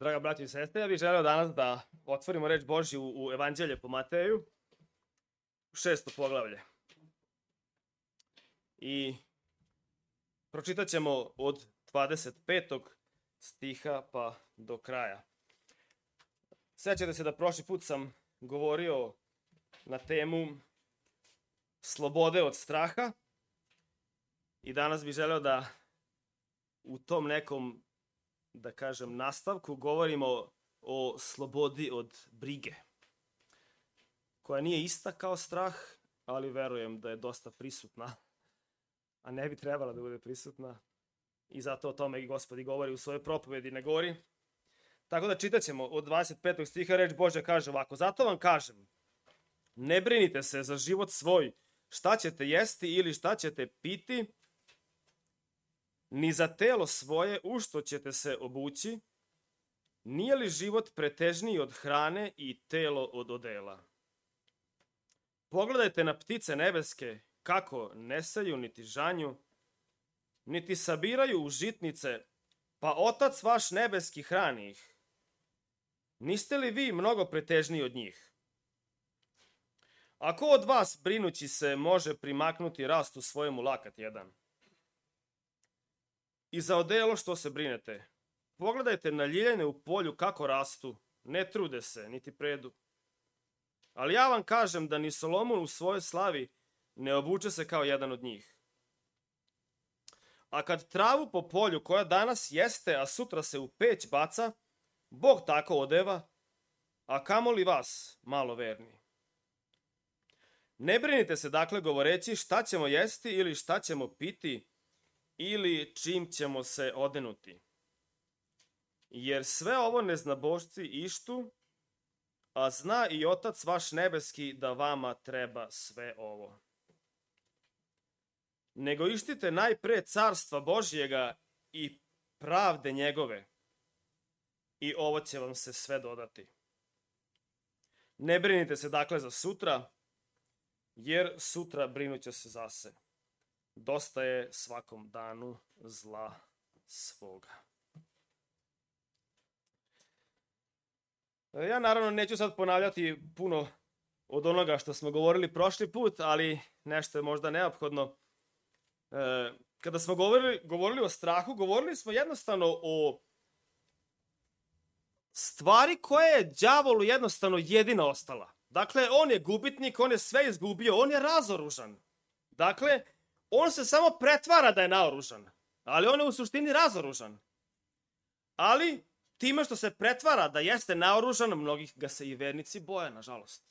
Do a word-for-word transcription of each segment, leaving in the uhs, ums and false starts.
Draga braći i sestre, ja bih želeo danas da otvorimo reč Božju u Evanđelje po Mateju, šesto poglavlje. I pročitat ćemo od dvadeset petog stiha pa do kraja. Sjećate se da prošli put sam govorio na temu slobode od straha i danas bih želeo da u tom nekom, da kažem, nastavku govorimo o slobodi od brige, koja nije ista kao strah, ali verujem da je dosta prisutna, a ne bi trebala da bude prisutna. I zato o tome i Gospod i govori u svojoj propovedi na gori. Tako da čitat ćemo od dvadeset petog stiha, reč Božja kaže ovako: zato vam kažem, ne brinite se za život svoj, šta ćete jesti ili šta ćete piti, ni za telo svoje u što ćete se obući. Nije li život pretežniji od hrane i telo od odela? Pogledajte na ptice nebeske, kako ne seju niti žanju, niti sabiraju u žitnice, pa Otac vaš nebeski hrani ih. Niste li vi mnogo pretežniji od njih? A ko od vas, brinući se, može primaknuti rastu svojemu lakat jedan? I za odelo što se brinete, pogledajte na ljiljane u polju kako rastu, ne trude se, niti predu. Ali ja vam kažem da ni Solomon u svojoj slavi ne obuče se kao jedan od njih. A kad travu po polju koja danas jeste, a sutra se u peć baca, Bog tako odeva, a kamoli vas, malo verni. Ne brinite se dakle govoreći šta ćemo jesti ili šta ćemo piti, ili čim ćemo se odenuti. Jer sve ovo neznabošci ištu, a zna i Otac vaš nebeski da vama treba sve ovo. Nego ištite najpre carstva Božjega i pravde njegove, i ovo će vam se sve dodati. Ne brinite se dakle za sutra, jer sutra brinuće se za se. Dosta je svakom danu zla svoga. Ja naravno neću sad ponavljati puno od onoga što smo govorili prošli put, ali nešto je možda neophodno. Kada smo govorili, govorili o strahu, govorili smo jednostavno o stvari koja je đavolu jednostavno jedina ostala. Dakle, on je gubitnik, on je sve izgubio, on je razoružan. Dakle, on se samo pretvara da je naoružan, ali on je u suštini razoružan. Ali, time što se pretvara da jeste naoružan, mnogih ga se i vernici boje, nažalost.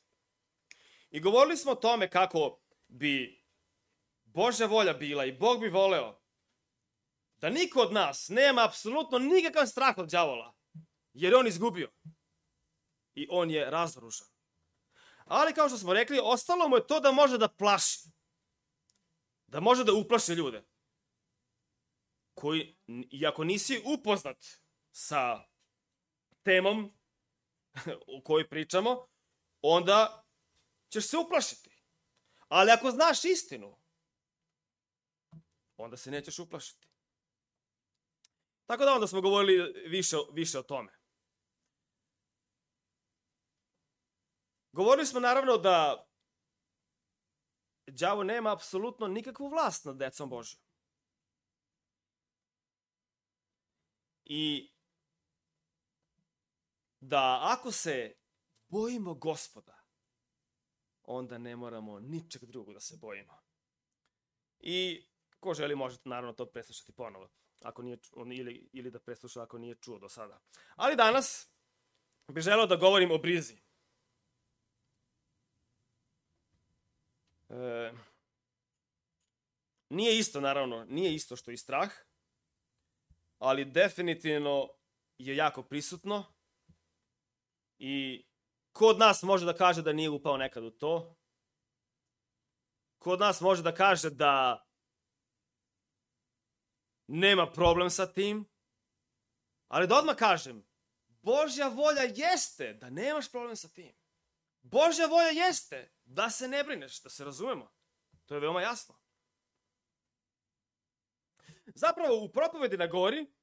I govorili smo o tome kako bi Božja volja bila i Bog bi voleo da niko od nas nema apsolutno nikakav strah od đavola, jer on izgubio i on je razoružan. Ali, kao što smo rekli, ostalo mu je to da može da plaši. Da može da uplaši ljude koji, iako nisi upoznat sa temom o kojoj pričamo, onda ćeš se uplašiti. Ali ako znaš istinu, onda se nećeš uplašiti. Tako da onda smo govorili više, više o tome. Govorili smo naravno da đavo nema apsolutno nikakvu vlast nad decom Božjom. I da ako se bojimo Gospoda, onda ne moramo ničeg drugog da se bojimo. I ko želi možete naravno to preslušati ponovo, ako nije, ili, ili da presluša ako nije čuo do sada. Ali danas bih želeo da govorim o brizi. E, nije isto, naravno, nije isto što i strah, ali definitivno je jako prisutno i ko od nas može da kaže da nije upao nekad u to? Ko od nas može da kaže da nema problem sa tim? Ali da odmah kažem, Božja volja jeste da nemaš problem sa tim. Božja volja jeste da se ne brineš, da se razumemo. To je veoma jasno. Zapravo u propovedi na gori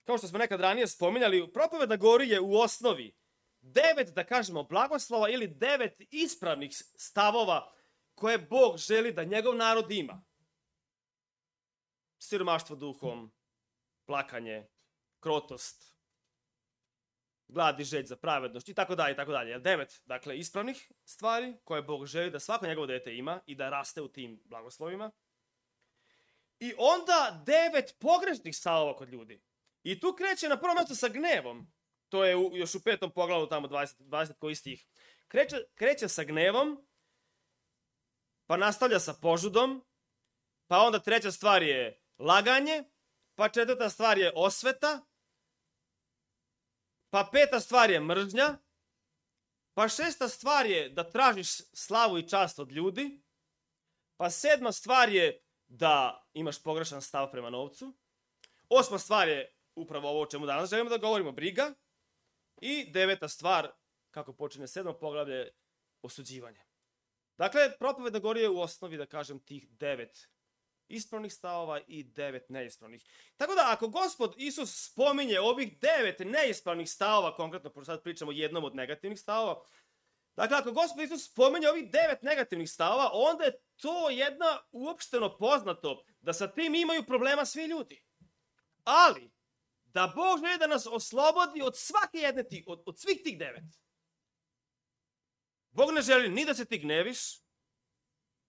kao što smo nekad ranije spominjali, propoved na gori je u osnovi devet, da kažemo, blagoslova ili devet ispravnih stavova koje Bog želi da njegov narod ima. Siromaštvo duhom, plakanje, krotost, glad i želj za pravednost i tako dalje i tako dalje. Devet, dakle, ispravnih stvari koje Bog želi da svako njegovo dete ima i da raste u tim blagoslovima. I onda devet pogrešnih stavova kod ljudi. I tu kreće na prvo mjesto sa gnevom. To je u, još u petom poglavlju, tamo dvadeset, dvadeset koji stih. Kreće, kreće sa gnevom, pa nastavlja sa požudom, pa onda treća stvar je laganje, pa četvrta stvar je osveta, pa peta stvar je mržnja, pa šesta stvar je da tražiš slavu i čast od ljudi, pa sedma stvar je da imaš pogrešan stav prema novcu, osma stvar je upravo ovo o čemu danas želimo da govorimo, briga, i deveta stvar, kako počinje sedmo poglavlje, osuđivanje. Dakle, propoved na gori je u osnovi, da kažem, tih devet ispravnih stavova i devet neispravnih. Tako da, ako Gospod Isus spominje ovih devet neispravnih stavova, konkretno, pošto sad pričamo o jednom od negativnih stavova, dakle, ako Gospod Isus spominje ovih devet negativnih stavova, onda je to jedna uopšteno poznato da sa tim imaju problema svi ljudi. Ali, da Bog želi da nas oslobodi od svake jedne tih, od, od svih tih devet. Bog ne želi ni da se ti gneviš,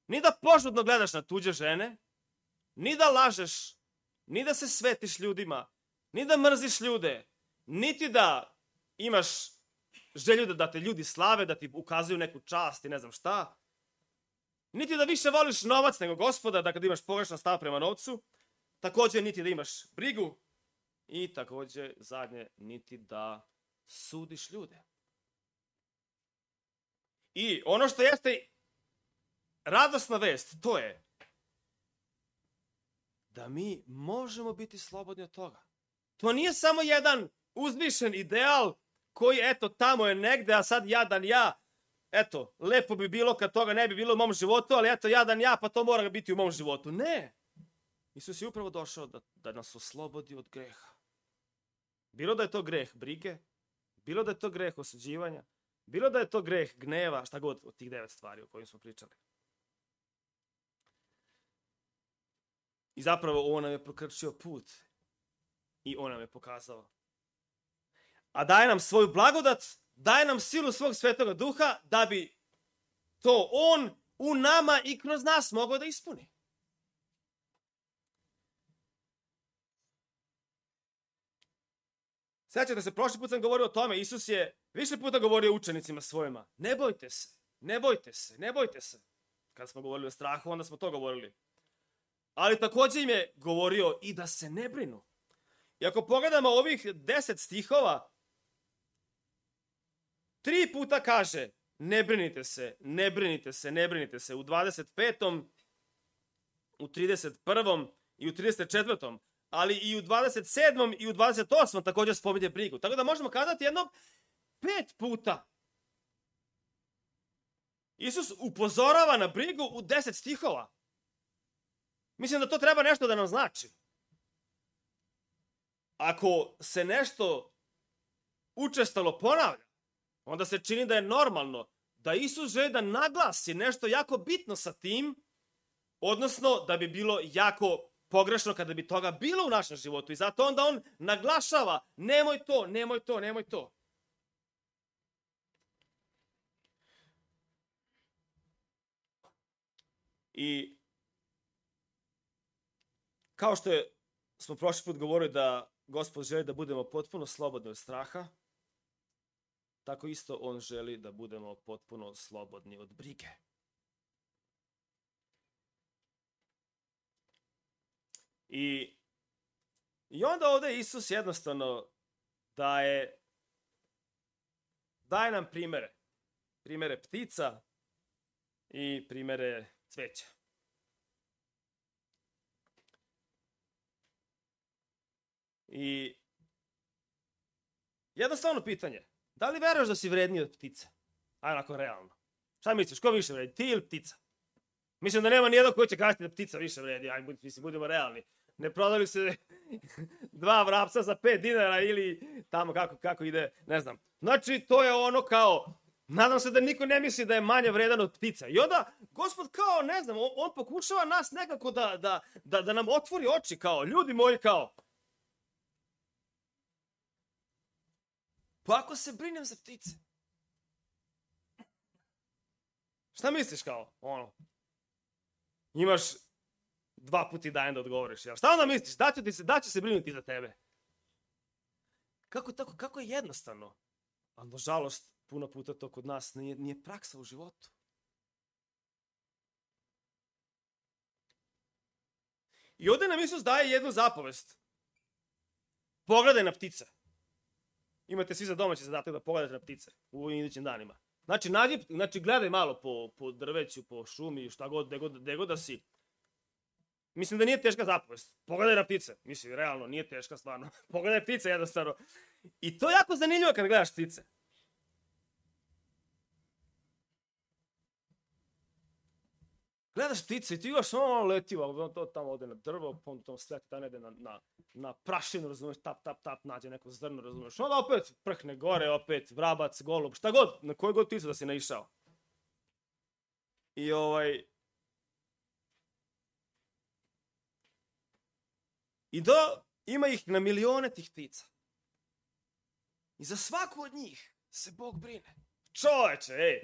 ni da požudno gledaš na tuđe žene, ni da lažeš, ni da se svetiš ljudima, ni da mrziš ljude, niti da imaš želju da, da te ljudi slave, da ti ukazuju neku čast i ne znam šta, niti da više voliš novac nego Gospoda, da kad imaš pogrešan stav prema novcu, također niti da imaš brigu i također zadnje, niti da sudiš ljude. I ono što jeste radosna vest, to je da mi možemo biti slobodni od toga. To nije samo jedan uzvišen ideal koji, eto, tamo je negde, a sad jadan ja, eto, lepo bi bilo kad toga ne bi bilo u mom životu, ali eto, jadan ja, pa to mora biti u mom životu. Ne! Isus je upravo došao da, da nas oslobodi od greha. Bilo da je to greh brige, bilo da je to greh osuđivanja, bilo da je to greh gneva, šta god od tih devet stvari o kojim smo pričali. I zapravo on nam je prokrčio put i on nam je pokazao. A daje nam svoju blagodat, daje nam silu svog svetoga duha da bi to on u nama i kroz nas mogao da ispuni. Sjećate se, prošli put sam govorio o tome, Isus je više puta govorio učenicima svojima, ne bojte se, ne bojte se, ne bojte se. Kad smo govorili o strahu, onda smo to govorili. Ali također im je govorio i da se ne brinu. I ako pogledamo ovih deset stihova, tri puta kaže ne brinite se, ne brinite se, ne brinite se. U dvadeset petom, u trideset prvom i u trideset četvrtom ali i u dvadeset sedmom i u dvadeset osmom također spominje brigu. Tako da možemo kazati jedno pet puta. Isus upozorava na brigu u deset stihova. Mislim da to treba nešto da nam znači. Ako se nešto učestalo ponavlja, onda se čini da je normalno da Isus želi da naglasi nešto jako bitno sa tim, odnosno da bi bilo jako pogrešno kada bi toga bilo u našem životu. I zato onda on naglašava, nemoj to, nemoj to, nemoj to. I kao što je, smo prošli put govorili da Gospod želi da budemo potpuno slobodni od straha, tako isto on želi da budemo potpuno slobodni od brige. I, i onda ovdje Isus jednostavno daje, daje nam primere. Primere ptica i primere cveća. I jednostavno pitanje, da li veruješ da si vredniji od ptice? Ajde, onako realno. Šta misliš, ko više vredi, ti ili ptica? Mislim da nema nijednog koji će kazati da ptica više vredi, ajde, mislim, budemo realni. Ne prodali se dva vrapca za pet dinara ili tamo kako, kako ide, ne znam. Znači, to je ono kao, nadam se da niko ne misli da je manje vredan od ptica. I onda, Gospod kao, ne znam, on, on pokušava nas nekako da, da, da, da nam otvori oči kao, ljudi moji kao. Pa ako se brinem za ptice, šta misliš kao, ono, imaš dva puti dan da odgovoriš, jel? Šta onda misliš, da će, ti se, da će se brinuti za tebe? Kako, tako, kako je jednostavno? A nažalost, puno puta to kod nas nije, nije praksa u životu. I ovdje nam Isus daje jednu zapovest. Pogledaj na ptice. Imate svi za domaći zadatak da pogledate na ptice u idućim danima. Znači, nađi, znači gledaj malo po, po drveću, po šumi, šta god, gde god, gde god da si. Mislim da nije teška zapovest. Pogledaj na ptice. Mislim, realno, nije teška stvarno. Pogledaj ptice jednostavno. I to je jako zanimljivo kad gledaš ptice. Gledaš ptice i ti još ono leti, to tamo ode na drvo, pa onda tamo sleti, tamo ide na, na, na prašinu, razumiješ, tap, tap, tap, nađe neko zrno, razumiješ. Onda opet prhne gore, opet vrabac, golub, šta god, na koju god pticu da si naišao. I ovaj... I do, ima ih na milione tih ptica. I za svaku od njih se Bog brine. Čoveče, ej!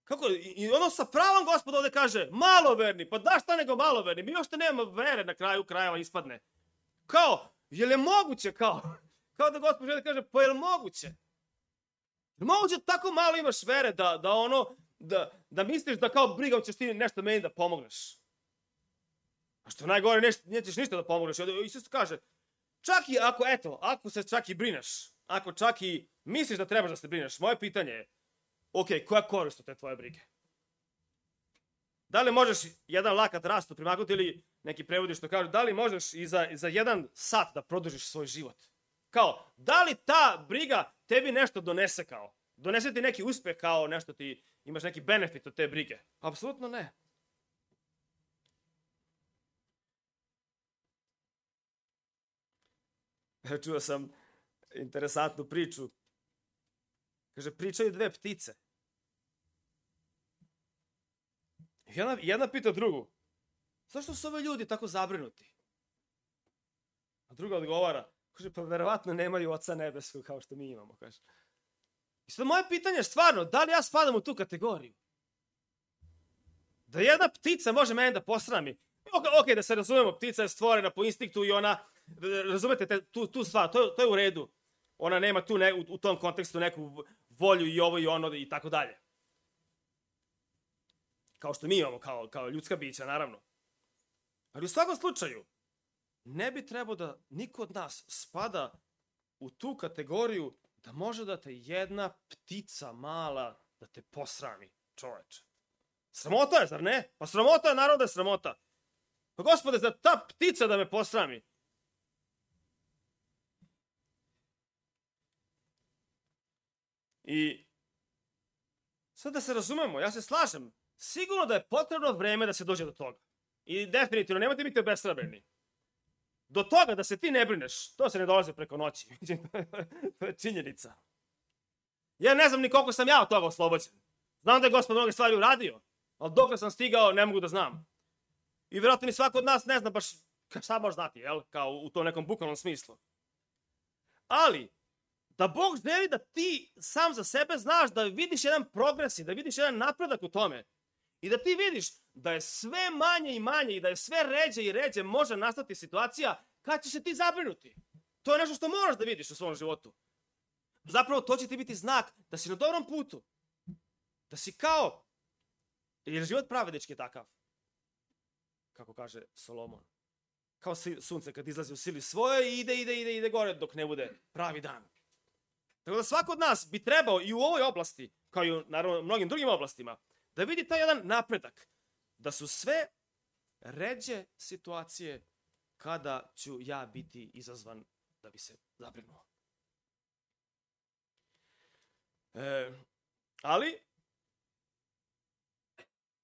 Kako, i ono sa pravom Gospod ovdje kaže, maloverni, pa da šta nego maloverni, mi još te nema vere na kraju krajeva ispadne. Kao, je li moguće, kao, kao da Gospod želi kaže, pa je li moguće? Je li moguće tako malo imaš vere da, da ono, da, da misliš da kao brigom ćeš ti nešto meni da pomogneš? A što najgore, neš, nećeš ništa da pomogneš. Isus kaže, čak i ako, eto, ako se čak i brineš, ako čak i misliš da trebaš da se brineš, moje pitanje je, ok, koja korist od te tvoje brige? Da li možeš jedan lakat rastu primaknuti ili neki prevodi što kažu, da li možeš i za, za jedan sat da produžiš svoj život? Kao, da li ta briga tebi nešto donese kao? Donese ti neki uspeh kao nešto ti, imaš neki benefit od te brige? Apsolutno ne. Čuo sam interesantnu priču. Kaže, pričaju dve ptice. Jedna, jedna pita drugu, zašto su ove ljudi tako zabrinuti? A druga odgovara, kaže, pa verovatno nemaju oca nebeskog kao što mi imamo, kaže. I sad moje pitanje je stvarno, da li ja spadam u tu kategoriju? Da jedna ptica može mene da posrami? Ok, okay, da se razumemo, ptica je stvorena po instinktu i ona, razumete te, tu, tu stvar, to, to je u redu. Ona nema tu ne, u, u tom kontekstu neku volju i ovo i ono i tako dalje. Kao što mi imamo, kao, kao ljudska bića, naravno. Ali u svakom slučaju, ne bi trebao da niko od nas spada u tu kategoriju da može da te jedna ptica mala da te posrami, čoveče. Sramota je, zar ne? Pa sramota je, naravno da je sramota. Pa Gospode, za ta ptica da me posrami. I sad da se razumemo, ja se slažem, sigurno da je potrebno vreme da se dođe do toga. I definitivno, nemojte biti obeshrabreni. Do toga da se ti ne brineš, to se ne dolazi preko noći. To je činjenica. Ja ne znam ni koliko sam ja od toga oslobođen. Znam da je Gospod mnoge stvari uradio, ali dok sam stigao ne mogu da znam. I vjerojatno ni svako od nas ne zna baš šta može znati, jel? Kao u tom nekom bukvalnom smislu. Ali, da Bog želi da ti sam za sebe znaš, da vidiš jedan progres i da vidiš jedan napredak u tome. I da ti vidiš da je sve manje i manje i da je sve ređe i ređe može nastati situacija kad ćeš se ti zabrinuti. To je nešto što moraš da vidiš u svom životu. Zapravo to će ti biti znak da si na dobrom putu. Da si kao, jer život pravednički je takav. Kako kaže Solomon. Kao sunce kad izlazi u sili svoje i ide, ide, ide, ide gore dok ne bude pravi dan. Tako da svako od nas bi trebao i u ovoj oblasti, kao i u naravno mnogim drugim oblastima, da vidi taj jedan napredak. Da su sve ređe situacije kada ću ja biti izazvan da bi se zabrinuo. E, ali,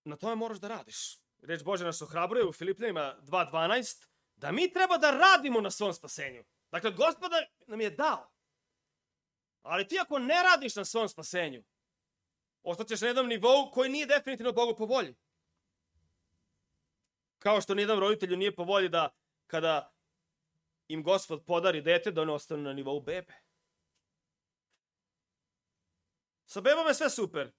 na tome moraš da radiš. Reč Božja nas ohrabruje u Filipljanima dva dvanaest. da mi treba da radimo na svom spasenju. Dakle, Gospod nam je dao. Ali ti ako ne radiš na svom spasenju, ostaćeš na jednom nivou koji nije definitivno Bogu po volji. Kao što nijednom roditelju nije po volji da kada im Gospod podari dete, da one ostanu na nivou bebe. Sa bebom je sve super.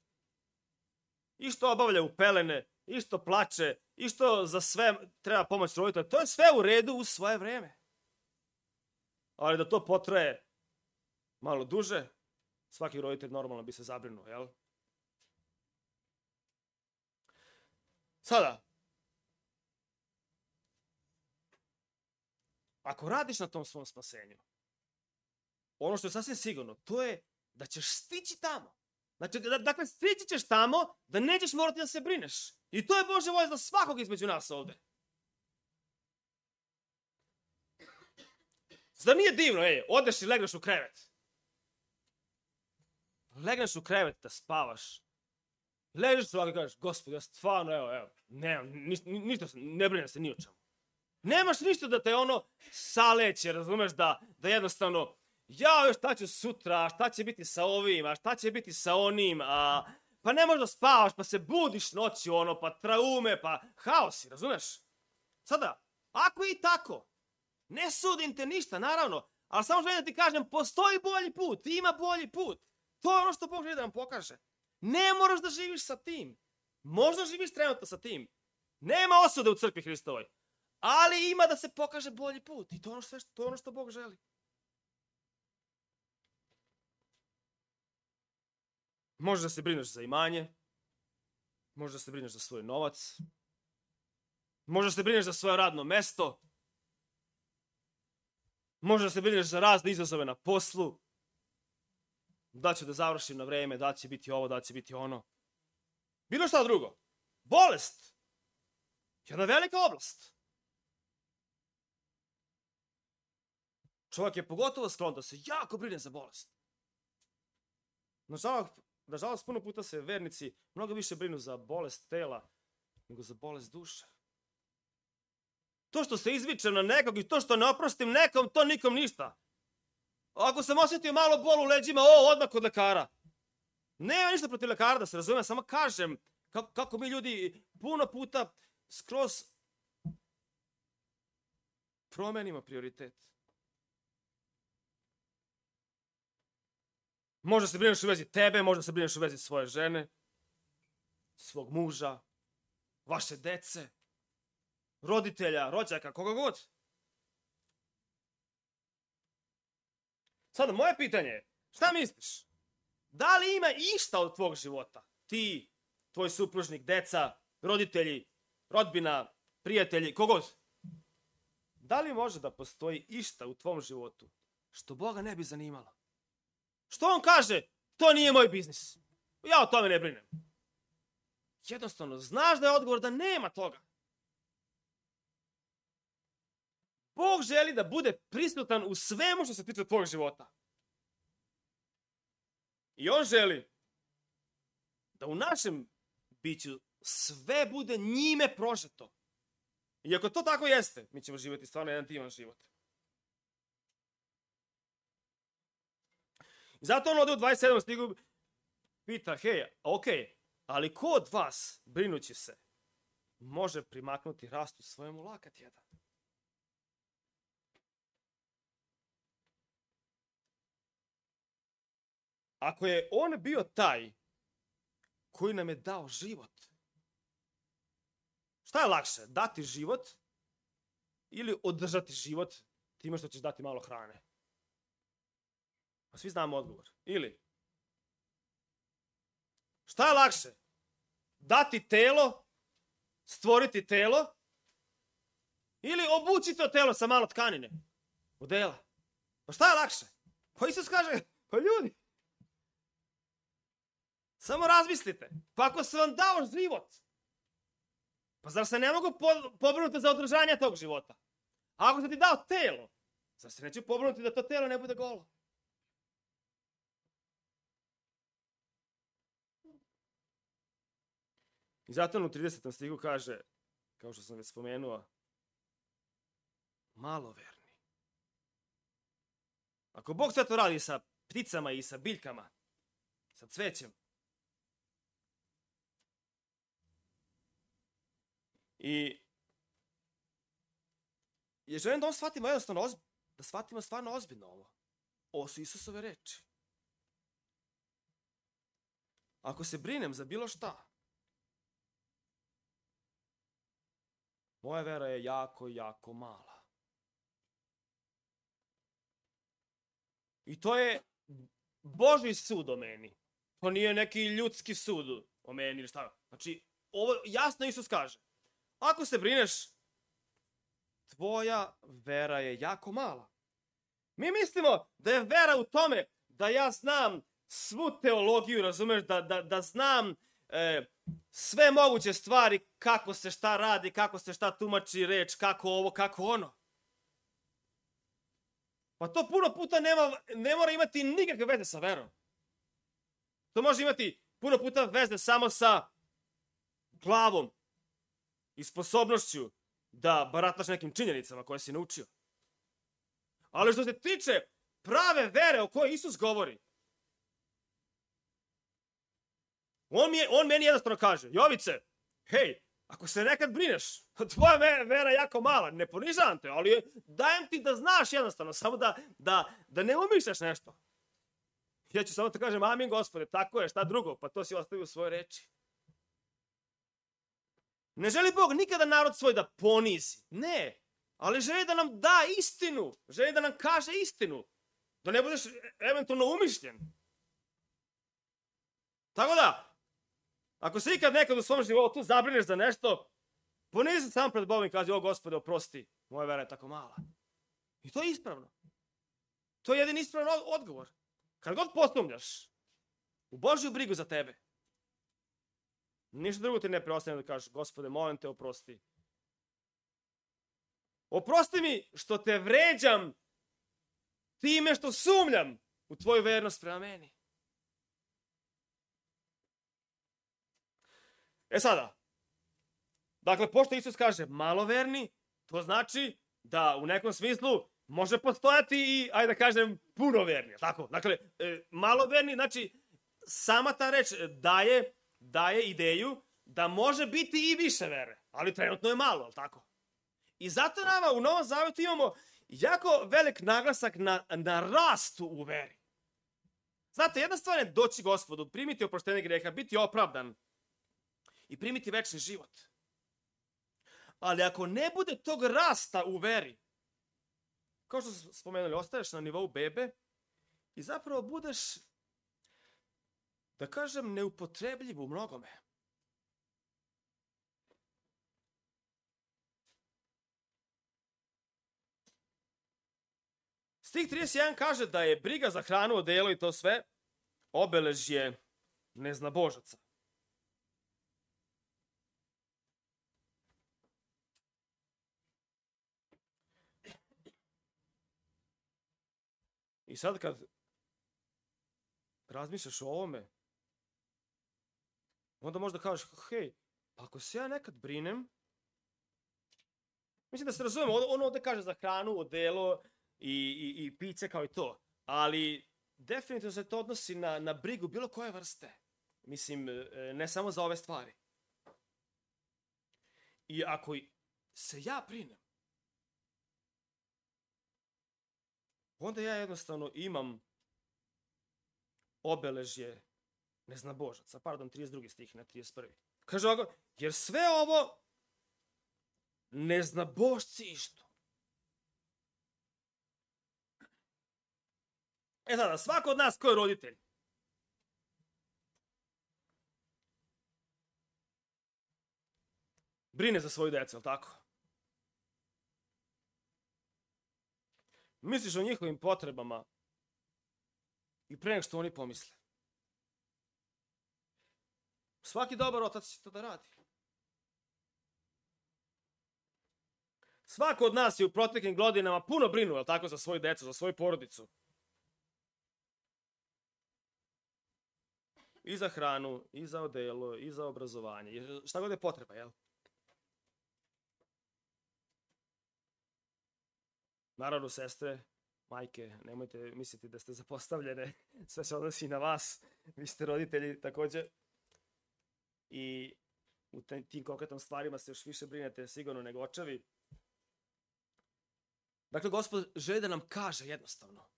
I što obavlja u pelene, i što plače, i što za sve treba pomoć roditelja. To je sve u redu u svoje vreme. Ali da to potraje malo duže, svaki roditelj normalno bi se zabrinuo, jel? Sada, ako radiš na tom svom spasenju, ono što je sasvim sigurno, to je da ćeš stići tamo. Znači, dakle, stići ćeš tamo da nećeš morati da se brineš. I to je Božja volja za svakog između nas ovde. Zar nije divno, ej, odeš i legneš u krevet. Legneš u krevet da spavaš. Ležeš ovako i kažeš, Gospod, ja stvarno, evo, evo, nemam, ništa, ništa, ne brinem se ni o čemu. Nemaš ništa da te ono saleće, razumeš, da, da jednostavno, ja, šta ću sutra, šta će biti sa ovim, a šta će biti sa onim, a, pa ne možeš da spavaš, pa se budiš noću, ono, pa traume, pa haosi, razumeš? Sada, ako je i tako, ne sudim te ništa, naravno, ali samo želim da ti kažem, postoji bolji put, ima bolji put. To je ono što Bog želi da nam pokaže. Ne moraš da živiš sa tim. Možda živiš trenutno sa tim. Nema osude u crkvi Hristovoj. Ali ima da se pokaže bolji put. I to je ono što, to je ono što Bog želi. Možeš da se brineš za imanje. Možeš da se brineš za svoj novac. Možeš da se brineš za svoje radno mesto. Možeš da se brineš za razne izazove na poslu. Da ću da završim na vreme, da će biti ovo, da će biti ono. Bilo šta drugo. Bolest. Jedna velika oblast. Čovjek je pogotovo sklon da se jako brine za bolest. Nažalost, nažalost, puno puta se vernici mnogo više brinu za bolest tela nego za bolest duše. To što se izvičem na nekog i to što ne oprostim nekom, to nikom ništa. Ako sam osjetio malo bol u leđima, o, odmah kod lekara. Nema ništa protiv lekara, da se razume, samo kažem kako, kako mi ljudi puno puta skroz promenimo prioritet. Možda se brineš u vezi tebe, možda se brineš u vezi svoje žene, svog muža, vaše dece, roditelja, rođaka, koga god. Sada, moje pitanje je, šta misliš? Da li ima išta od tvog života? Ti, tvoj supružnik, deca, roditelji, rodbina, prijatelji, kogod. Da li može da postoji išta u tvom životu što Boga ne bi zanimalo? Što on kaže, to nije moj biznis. Ja o tome ne brinem. Jednostavno, znaš da je odgovor da nema toga. Bog želi da bude prisutan u svemu što se tiče tvojeg života. I on želi da u našem biću sve bude njime prožeto. I ako to tako jeste, mi ćemo živjeti stvarno jedan divan život. I zato on ovdje u dvadeset sedmom stigu pita, hej, ok, ali ko od vas, brinući se, može primaknuti rastu svojemu lakat jedan? Ako je on bio taj koji nam je dao život, šta je lakše, dati život ili održati život time što ćeš dati malo hrane? Pa svi znamo odgovor. Ili, šta je lakše, dati telo, stvoriti telo ili obući to telo sa malo tkanine, odela? Pa šta je lakše? Pa Isus kaže, pa ljudi, samo razmislite, pa ako sam vam dao život, pa zar se ne mogu pobrinuti za održanje tog života? A ako sam ti dao telo, zar se neću pobrinuti da to telo ne bude golo? I zato u tridesetom stihu kaže, kao što sam već spomenuo, maloverni. Ako Bog sve to radi sa pticama i sa biljkama, sa cvećem, i ja želim da on shvatimo jednostavno ozbiljno, da shvatimo stvarno ozbiljno ovo. Ovo su Isusove reči. Ako se brinem za bilo šta, moja vera je jako, jako mala. I to je Božji sud o meni. To nije neki ljudski sud o meni ili šta. Znači, ovo jasno Isus kaže. Ako se brineš, tvoja vera je jako mala. Mi mislimo da je vera u tome da ja znam svu teologiju, razumeš, da, da, da znam e, sve moguće stvari, kako se šta radi, kako se šta tumači reč, kako ovo, kako ono. Pa to puno puta nema, ne mora imati nikakve veze sa verom. To može imati puno puta veze samo sa glavom i sposobnošću da barataš nekim činjenicama koje si naučio. Ali što se tiče prave vere o kojoj Isus govori, on, mi je, on meni jednostavno kaže, Jovice, hej, ako se nekad brineš, tvoja vera je jako mala, ne ponižavam te, ali dajem ti da znaš jednostavno, samo da, da, da ne umišljaš nešto. Ja ću samo te kažem, amin Gospode, tako je, šta drugo, pa to si ostavio u svoje reči. Ne želi Bog nikada narod svoj da ponizi, ne, ali želi da nam da istinu, želi da nam kaže istinu, da ne budeš eventualno umišljen. Tako da, ako se ikad nekad u svom životu zabrineš za nešto, ponizi sam pred Bogom i kaži, o Gospode, oprosti, moja vera je tako mala. I to je ispravno. To je jedin ispravan odgovor. Kad god posumnjaš u Božju brigu za tebe, ništa drugo ti ne preostaje da kažeš, Gospode, molim te, oprosti. Oprosti mi što te vređam time što sumnjam u tvoju vernost prema meni. E sada, dakle, pošto Isus kaže maloverni, to znači da u nekom smislu može postojati i, ajde da kažem, punoverni. Tako? Dakle, e, maloverni, znači, sama ta reč daje, daje ideju da može biti i više vere, ali trenutno je malo, tako? I zato nama u Novom Zavetu imamo jako velik naglasak na, na rastu u veri. Znate, jedna stvar je doći Gospodu, primiti oproštenje greha, biti opravdan i primiti večni život. Ali ako ne bude tog rasta u veri, kao što smo spomenuli, ostaješ na nivou bebe i zapravo budeš, da kažem, neupotrebljiv u mnogome. Stih trideset jedan kaže da je briga za hranu, odelo i to sve obeležje neznabožaca. I sad kad razmišljaš o ovome, onda možda kažeš, hej, pa ako se ja nekad brinem, mislim da se razumemo, ono ovde kaže za hranu, odelo i, i, i piće kao i to, ali definitivno se to odnosi na, na brigu bilo koje vrste. Mislim, ne samo za ove stvari. I ako se ja brinem, onda ja jednostavno imam obeležje neznabožaca. Pardon, trideset drugi stih, ne trideset prvi. Kaže ovako, jer sve ovo neznabožci išto. E sada, svako od nas ko je roditelj, brine za svoju decu, je li tako? Misliš o njihovim potrebama i pre nego što oni pomisle. Svaki dobar otac će to da radi. Svako od nas je u proteklim godinama puno brinuo, je li tako, za svoju decu, za svoju porodicu. I za hranu, i za odelo, i za obrazovanje. Šta god je potreba, jel? Naravno, sestre, majke, nemojte misliti da ste zapostavljene. Sve se odnosi na vas. Vi ste roditelji također. I u tim konkretnim stvarima se još više brinete sigurno nego očevi. Dakle, Gospod želi da nam kaže jednostavno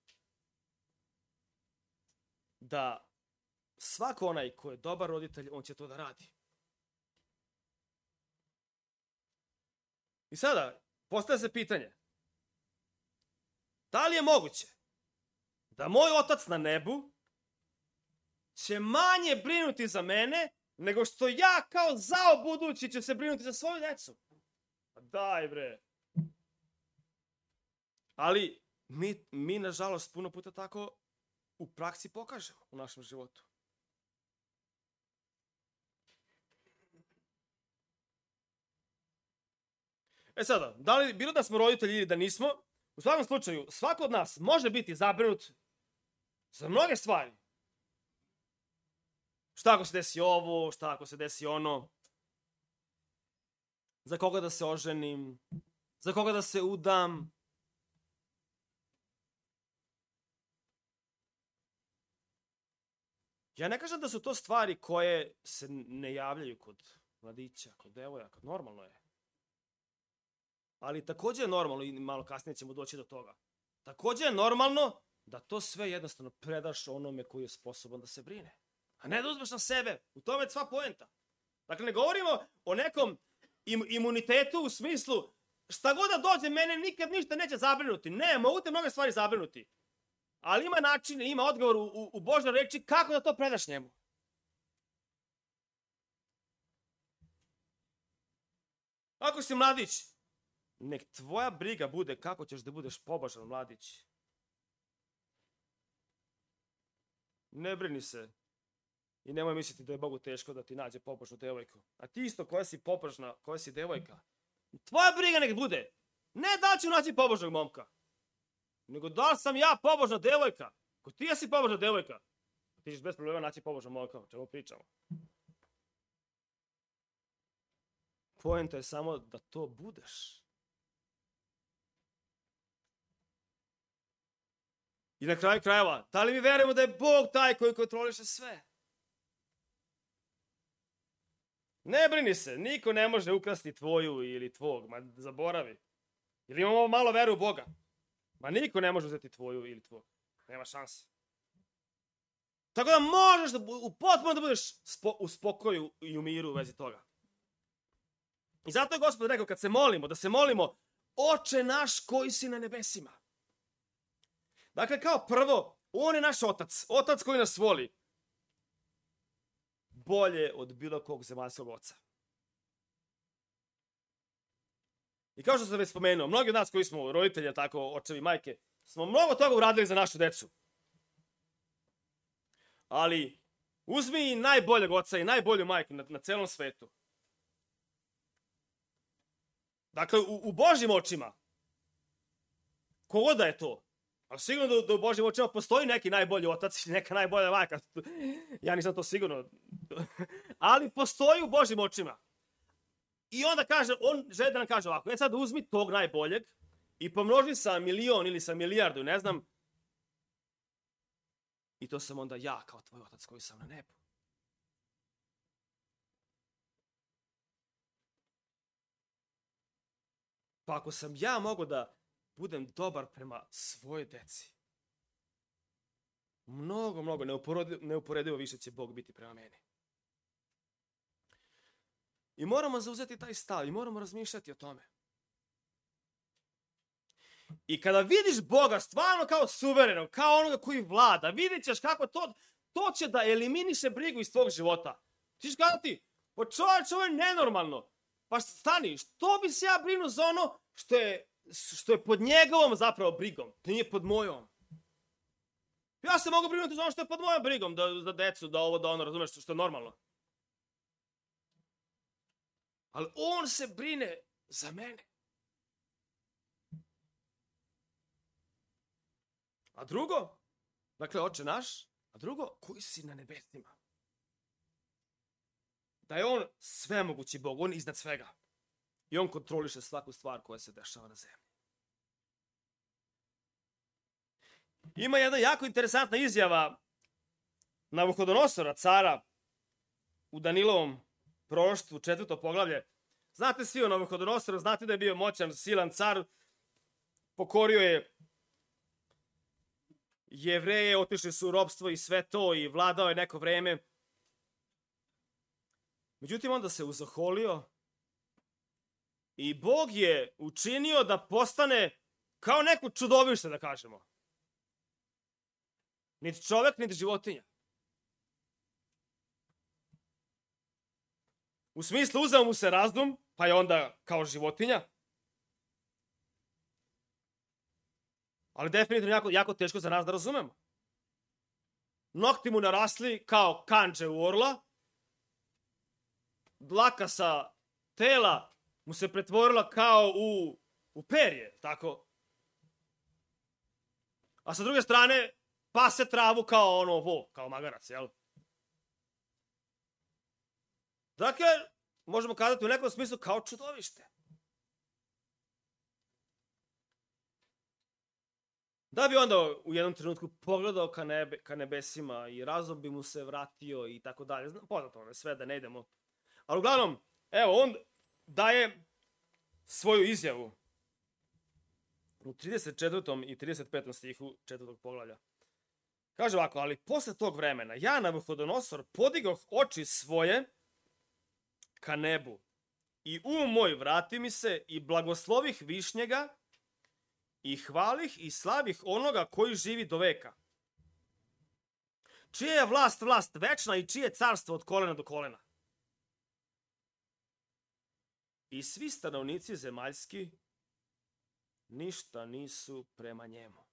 da svako onaj ko je dobar roditelj, on će to da radi. I sada, postaje se pitanje, da li je moguće da moj Otac na nebu će manje brinuti za mene nego što ja kao zao budući će se brinuti za svoju decu? Pa daj bre. Ali mi, mi nažalost puno puta tako u praksi pokažemo u našem životu. E sada, da li bilo da smo roditelji ili da nismo, u svakom slučaju, svako od nas može biti zabrinut za mnoge stvari. Šta ako se desi ovo, šta ako se desi ono, za koga da se oženim, za koga da se udam. Ja ne kažem da su to stvari koje se ne javljaju kod mladića, kod devojaka, normalno je. Ali također je normalno, i malo kasnije ćemo doći do toga, također je normalno da to sve jednostavno predaš onome koji je sposoban da se brine. A ne da uzmeš na sebe. U tome je sva poenta. Dakle, ne govorimo o nekom im, imunitetu u smislu šta god da dođe, mene nikad ništa neće zabrinuti. Ne, mogu te mnoge stvari zabrinuti. Ali ima način, ima odgovor u, u, u Božoj reči kako da to predaš njemu. Ako si mladić, nek tvoja briga bude kako ćeš da budeš pobožan mladić. Ne brini se i nemoj misliti da je Bogu teško da ti nađe pobožnu devojku. A ti isto koja si pobožna, koja si devojka, tvoja briga nek bude ne da ću naći pobožnog momka, nego da li sam ja pobožna devojka. Ako ti jesi pobožna devojka, ti ćeš bez problema naći pobožnog momka, o čemu pričamo. Poenta je samo da to budeš. I na kraju krajeva, da li mi verujemo da je Bog taj koji kontroliše sve? Ne brini se, niko ne može ukrasti tvoju ili tvog, ma zaboravi. Ili imamo malo veru u Boga. Ma niko ne može uzeti tvoju ili tvog. Nema šanse. Tako da možeš da, u potpuno da budeš spo, u spokoju i u miru u vezi toga. I zato je Gospod rekao kad se molimo, da se molimo Oče naš koji si na nebesima. Dakle, kao prvo, on je naš otac. Otac koji nas voli. Bolje od bilo kog zemaljskog oca. I kao što sam već spomenuo, mnogi od nas koji smo roditelji, tako očevi, majke, smo mnogo toga uradili za našu decu. Ali uzmi i najboljeg oca i najbolju majku na, na celom svetu. Dakle, u, u Božjim očima, kogoda je to, ali sigurno da, da u Božjim očima postoji neki najbolji otac i neka najbolja majka. Ja nisam to sigurno. Ali postoji u Božjim očima. I onda kaže, on želi da nam kaže ovako, e sad uzmi tog najboljeg i pomnoži sa milion ili sa milijardu, ne znam. I to sam onda ja kao tvoj otac koji sam na nebu. Pa ako sam ja mogao da budem dobar prema svojoj deci, mnogo, mnogo neuporedivo, neuporedivo više će Bog biti prema meni. I moramo zauzeti taj stav i moramo razmišljati o tome. I kada vidiš Boga stvarno kao suverenog, kao onoga koji vlada, vidjet ćeš kako to, to će da eliminiše brigu iz tvog života. Ti ćeš gledati, pa čovječ, ovo je nenormalno. Pa stani, što bi se ja brinuo za ono što je, što je pod njegovom zapravo brigom, to nije pod mojom. Ja se mogu brinuti za ono što je pod mojom brigom, da, da decu, da ovo, da ono, razumeš, što je normalno. Ali on se brine za mene. A drugo, dakle, Oče naš, a drugo, koji si na nebesima. Da je on svemogući Bog, on iznad svega. I on kontroliše svaku stvar koja se dešava na zemlji. Ima jedna jako interesantna izjava Navuhodonosora, cara, u Danilovom proroštvu, četvrto poglavlje. Znate svi o Navuhodonosoru, znate da je bio moćan, silan car, pokorio je Jevreje, otišli su u ropstvo i sve to i vladao je neko vreme. Međutim, onda se uzoholio i Bog je učinio da postane kao neko čudovište, da kažemo. Niti čovek, niti životinja. U smislu, uzeo mu se razum, pa je onda kao životinja. Ali definitivno jako, jako teško za nas da razumemo. Nokti mu narasli kao kanđe u orla. Dlaka sa tela mu se pretvorila kao u, u perje, tako. A sa druge strane, pase travu kao ono vo, kao magarac, jel? Dakle, možemo kazati u nekom smislu kao čudovište. Da bi onda u jednom trenutku pogledao ka, nebe, ka nebesima i razum bi mu se vratio i tako dalje. Poznato ono sve, da ne idemo. Ali uglavnom, evo, on daje svoju izjavu u trideset četvrtom i trideset petom stihu četvrtog poglavlja. Kaže ovako, ali posle tog vremena, ja, Navuhodonosor, podigoh oči svoje ka nebu i um moj vrati mi se i blagoslovih višnjega i hvalih i slavih onoga koji živi do veka. Čija je vlast vlast večna i čije carstvo od kolena do kolena. I svi stanovnici zemaljski ništa nisu prema njemu.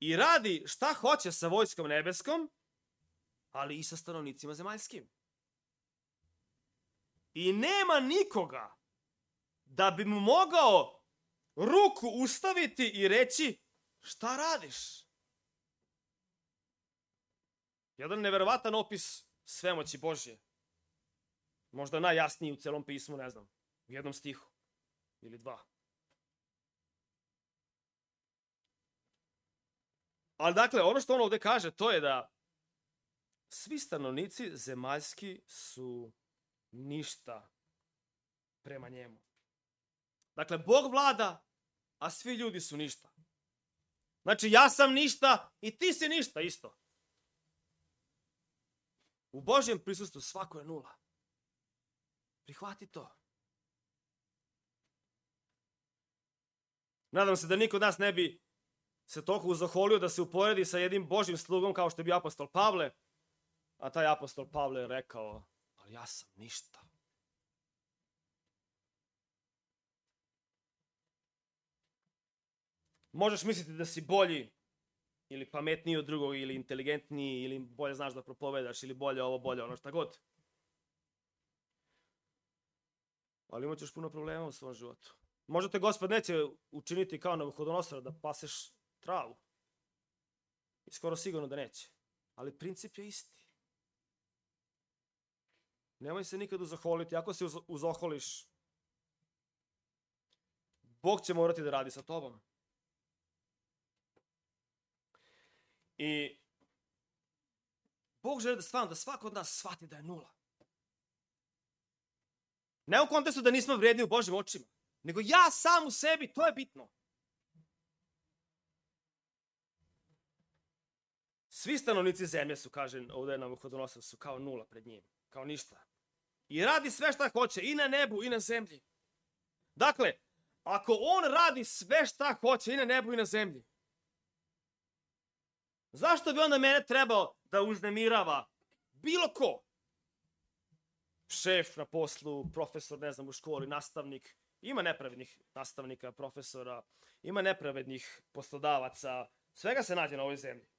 I radi šta hoće sa vojskom nebeskom, ali i sa stanovnicima zemaljskim. I nema nikoga da bi mu mogao ruku ustaviti i reći šta radiš. Jedan neverovatan opis svemoći Božje. Možda najjasniji u celom pismu, ne znam, u jednom stihu ili dva. Ali dakle, ono što on ovde kaže, to je da svi stanovnici zemaljski su ništa prema njemu. Dakle, Bog vlada, a svi ljudi su ništa. Znači, ja sam ništa i ti si ništa isto. U Božjem prisustvu svako je nula. Prihvati to. Nadam se da niko od nas ne bi se toliko uzoholio da se uporedi sa jednim Božjim slugom kao što je bio apostol Pavle, a taj apostol Pavle je rekao, ali ja sam ništa. Možeš misliti da si bolji ili pametniji od drugog ili inteligentniji ili bolje znaš da propovedaš ili bolje ovo, bolje ono, šta god. Ali imat ćeš puno problema u svom životu. Možda te Gospod neće učiniti kao Navuhodonosora da paseš travu. I skoro sigurno da neće. Ali princip je isti. Nemoj se nikad uzoholiti. Ako se uzoholiš, Bog će morati da radi sa tobom. I Bog želi da stvarno, da svako od nas shvati da je nula. Ne u kontekstu da nismo vrijedni u Božjim očima, nego ja sam u sebi, to je bitno. Svi stanovnici zemlje su, kaže ovdje Navuhodonosor, su kao nula pred njim, kao ništa. I radi sve šta hoće, i na nebu, i na zemlji. Dakle, ako on radi sve šta hoće, i na nebu, i na zemlji, zašto bi onda mene trebao da uznemirava bilo ko? Šef na poslu, profesor, ne znam, u školi, nastavnik. Ima nepravednih nastavnika, profesora, ima nepravednih poslodavaca. Svega se nađe na ovoj zemlji.